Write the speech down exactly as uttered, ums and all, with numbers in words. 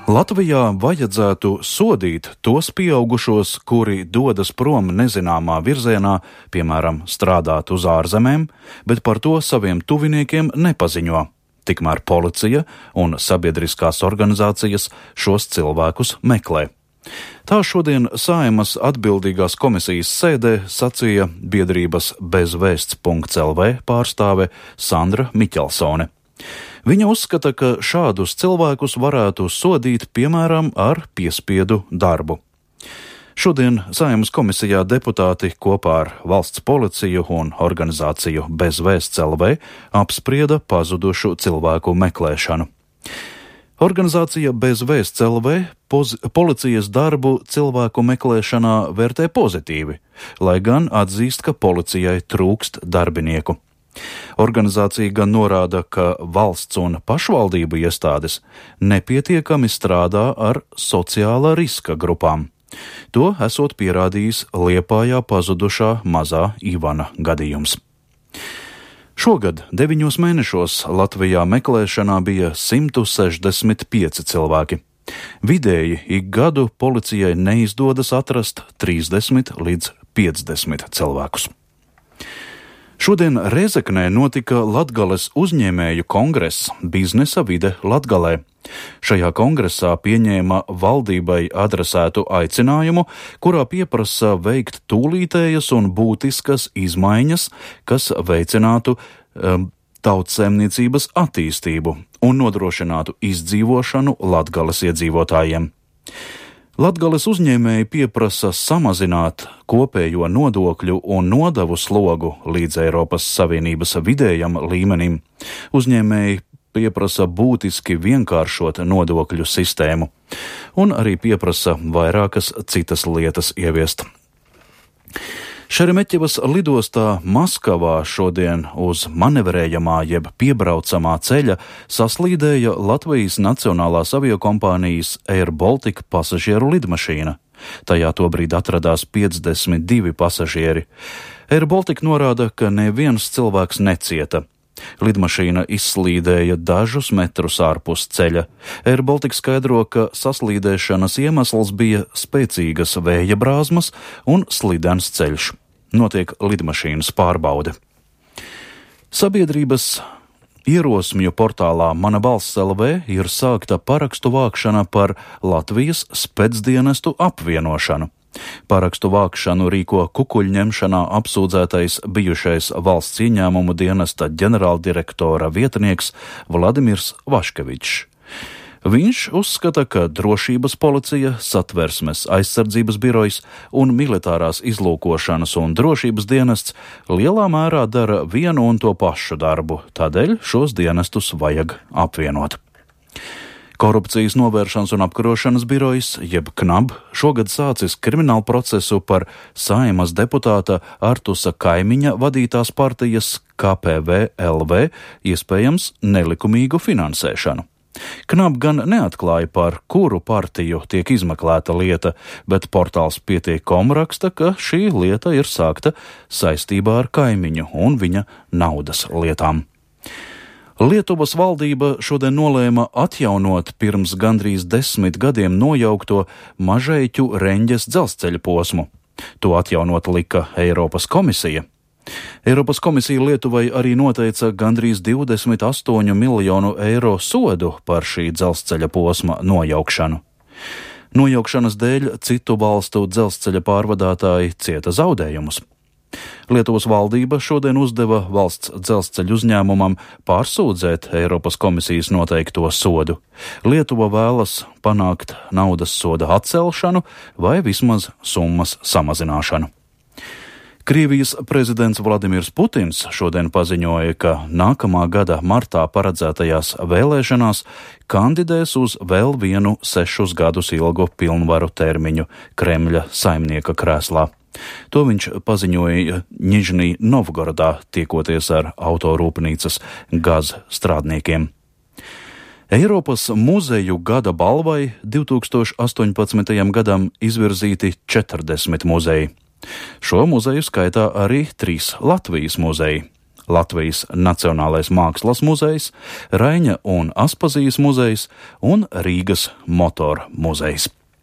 Latvijā vajadzētu sodīt tos pieaugušos, kuri dodas prom nezināmā virzienā, piemēram, strādāt uz ārzemēm, bet par to saviem tuviniekiem nepaziņo. Tikmēr policija un sabiedriskās organizācijas šos cilvēkus meklē. Tā šodien Saeimas atbildīgās komisijas sēdē sacīja biedrības bezvēsts punkts el vē pārstāve Sandra Miķelsone. Viņa uzskata, ka šādus cilvēkus varētu sodīt, piemēram, ar piespiedu darbu. Šodien Saeimas komisijā deputāti kopā ar valsts policiju un organizāciju bezvēsts punkts el vē apsprieda pazudušu cilvēku meklēšanu. Organizācija bezvēsts punkts el vē poz- policijas darbu cilvēku meklēšanā vērtē pozitīvi, lai gan atzīst, ka policijai trūkst darbinieku. Organizācija gan norāda, ka valsts un pašvaldību iestādes nepietiekami strādā ar sociālā riska grupām. To esot pierādījis Liepājā pazudušā mazā Ivana gadījums. Šogad deviņos mēnešos Latvijā meklēšanā bija simt sešdesmit pieci cilvēki. Vidēji ik gadu policijai neizdodas atrast trīsdesmit līdz piecdesmit cilvēkus. Šodien Rēzeknē notika Latgales uzņēmēju kongress Biznesa vide Latgalē. Šajā kongresā pieņēma valdībai adresētu aicinājumu, kurā pieprasa veikt tūlītējas un būtiskas izmaiņas, kas veicinātu um, tautsēmniecības attīstību un nodrošinātu izdzīvošanu Latgales iedzīvotājiem. Latgales uzņēmēji pieprasa samazināt kopējo nodokļu un nodevu slogu līdz Eiropas Savienības vidējam līmenim. Uzņēmēji pieprasa būtiski vienkāršot nodokļu sistēmu un arī pieprasa vairākas citas lietas ieviest. Šeremeķevas lidostā Maskavā šodien uz manevrējamā jeb piebraucamā ceļa saslīdēja Latvijas Nacionālās aviokompānijas Air Baltica pasažieru lidmašīna. Tajā tobrīd atradās piecdesmit divi pasažieri. Air Baltica norāda, ka neviens cilvēks necieta. Lidmašīna izslīdēja dažus metrus ārpus ceļa. Air Baltica skaidro, ka saslīdēšanas iemesls bija spēcīgas vēja brāzmas un slidens ceļš. Notiek lidmašīnas pārbaude. Sabiedrības ierosmju portālā Mana balss punkts el vē ir sākta parakstu vākšana par Latvijas specdienestu apvienošanu. Parakstu vākšanu rīko kukuļņemšanā apsūdzētais bijušais valsts ieņēmumu dienesta ģenerāldirektora vietnieks Vladimirs Vaškevičs. Viņš uzskata, ka drošības policija, satversmes aizsardzības birojs un militārās izlūkošanas un drošības dienests lielā mērā dara vienu un to pašu darbu, tādēļ šos dienestus vajag apvienot. Korupcijas novēršanas un apkarošanas birojs, jeb KNAB, šogad sācis kriminālu procesu par Saeimas deputāta Artusa Kaimiņa vadītās partijas K P V L V iespējams nelikumīgu finansēšanu. KNAB gan neatklāja, par kuru partiju tiek izmeklēta lieta, bet portāls Pietiek punkts com raksta, ka šī lieta ir sākta saistībā ar Kaimiņu un viņa naudas lietām. Lietuvas valdība šodien nolēma atjaunot pirms gandrīz desmit gadiem nojaukto Mažeiķu Reņģes dzelzceļa posmu. To atjaunot lika Eiropas komisija. Eiropas komisija Lietuvai arī noteica gandrīz divdesmit astoņu miljonu eiro sodu par šī dzelzceļa posma nojaukšanu. Nojaukšanas dēļ citu valstu dzelzceļa pārvadātāji cieta zaudējumus. Lietuvas valdība šodien uzdeva valsts dzelzceļu uzņēmumam pārsūdzēt Eiropas komisijas noteikto sodu. Lietuva vēlas panākt naudas soda atcelšanu vai vismaz summas samazināšanu. Krievijas prezidents Vladimirs Putins šodien paziņoja, ka nākamā gada martā paredzētajās vēlēšanās kandidēs uz vēl vienu sešus gadus ilgu pilnvaru termiņu Kremļa saimnieka krēslā. To viņš paziņoja Nižnij Novgorodā, tiekoties ar autorūpnīcas gaz strādniekiem. Eiropas muzeju gada balvai divtūkstoš astoņpadsmitajam gadam izvirzīti četrdesmit muzeji. Šo muzeju skaitā arī trīs Latvijas muzeji. Latvijas Nacionālais mākslas muzejs, Raiņa un Aspazijas muzejs un Rīgas motoru muzejs.